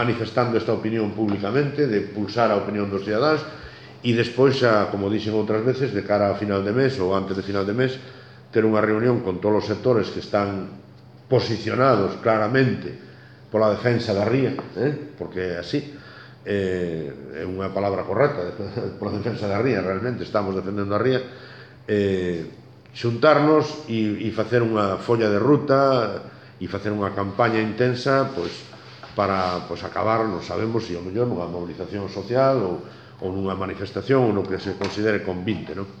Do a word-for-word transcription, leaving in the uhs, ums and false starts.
manifestando esta opinión públicamente, de pulsar a opinión dos cidadáns, e despois, xa, como dixen outras veces, de cara a final de mes ou antes de final de mes, ter unha reunión con todos os sectores que están posicionados claramente pola defensa da ría, eh? Porque é así, eh, é unha palabra correcta, pola defensa da ría, realmente estamos defendendo a ría, eh, xuntarnos e, e facer unha folla de ruta e facer unha campaña intensa, pois, para pois, acabar, non sabemos se ao mellor nunha movilización social ou, ou nunha manifestación ou no que se considere convinte, non?